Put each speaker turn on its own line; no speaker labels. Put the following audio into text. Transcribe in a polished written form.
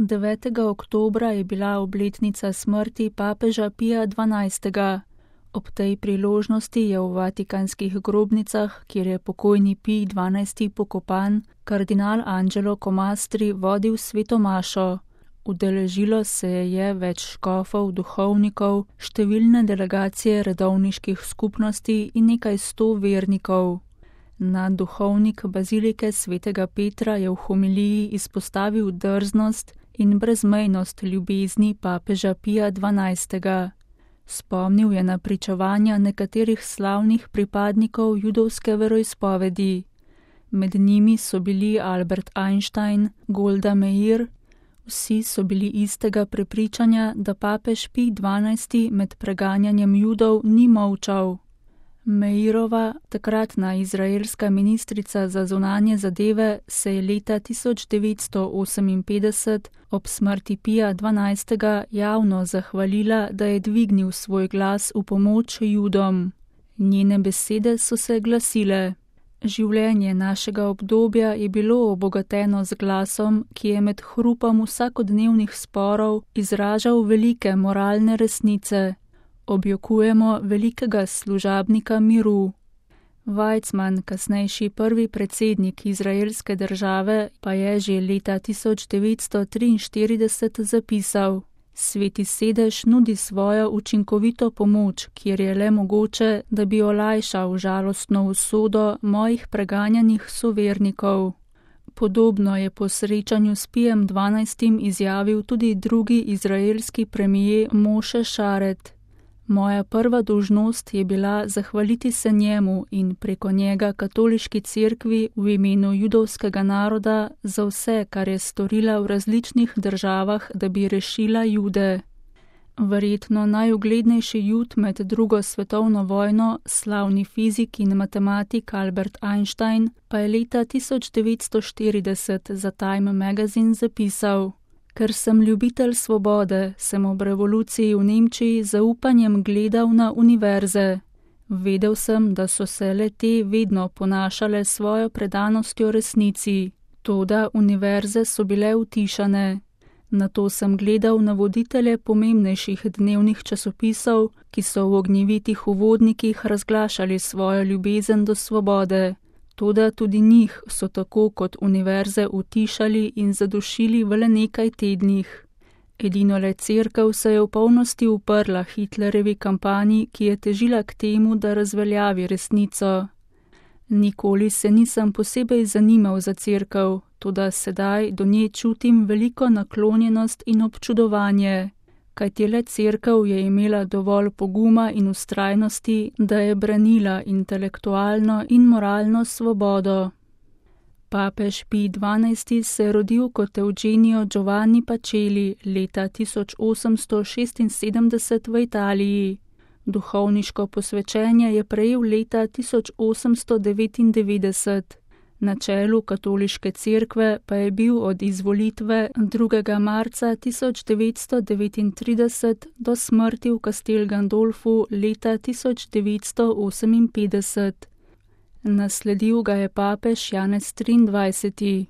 9. oktobra je bila obletnica smrti papeža Pija XII. Ob tej priložnosti je v vatikanskih grobnicah, kjer je pokojni Pij XII. Pokopan, kardinal Angelo Comastri vodil sveto mašo. Udeležilo se je več škofov, duhovnikov, številne delegacije redovniških skupnosti in nekaj 100 vernikov. Nadduhovnik bazilike svetega Petra je v homiliji izpostavil drznost in brezmejnost ljubezni papeža Pija XII. Spomnil je na pričevanja nekaterih slavnih pripadnikov judovske veroizpovedi. Med njimi so bili Albert Einstein, Golda Meir. Vsi so bili istega prepričanja, da papež Pij XII. Med preganjanjem Judov ni molčal. Meirova, takratna izraelska ministrica za zunanje zadeve, se je leta 1958 ob smrti Pija XII. Javno zahvalila, da je dvignil svoj glas v pomoč Judom. Njene besede so se glasile: Življenje našega obdobja je bilo obogateno z glasom, ki je med hrupom vsakodnevnih sporov izražal velike moralne resnice. Objokujemo velikega služabnika miru. Weizmann, kasnejši prvi predsednik izraelske države, pa je že leta 1943 zapisal: Sveti sedež nudi svojo učinkovito pomoč, kjer je le mogoče, da bi olajšal žalostno usodo mojih preganjanih sovernikov. Podobno je po srečanju s Pijem XII. Izjavil tudi drugi izraelski premijer Moše Šaret. Moja prva dolžnost je bila zahvaliti se njemu in preko njega katoliški cerkvi v imenu judovskega naroda za vse, kar je storila v različnih državah, da bi rešila Jude. Verjetno najuglednejši Jud med drugo svetovno vojno, slavni fizik in matematik Albert Einstein, pa je leta 1940 za Time Magazine zapisal: Ker sem ljubitelj svobode, sem ob revoluciji v Nemčiji z zaupanjem gledal na univerze. Vedel sem, da so se le te vedno ponašale svojo predanostjo resnici, toda univerze so bile utišane. Nato sem gledal na voditelje pomembnejših dnevnih časopisov, ki so v ognjevitih uvodnikih razglašali svojo ljubezen do svobode. Toda tudi njih so tako kot univerze utišali in zadušili v le nekaj tednih. Edino le cerkev se je v polnosti uprla Hitlerjevi kampanji, ki je težila k temu, da razveljavi resnico. Nikoli se nisem posebej zanimal za cerkev, toda sedaj do nje čutim veliko naklonjenost in občudovanje. Kajti le cerkev je imela dovolj poguma in vztrajnosti, da je branila intelektualno in moralno svobodo. Papež Pij XII. Se je rodil kot Eugenio Giovanni Pacelli leta 1876 v Italiji. Duhovniško posvečenje je prejel leta 1899. Na čelu katoliške cerkve pa je bil od izvolitve 2. marca 1939 do smrti v Castel Gandolfu leta 1958. Nasledil ga je papež Janez XXIII.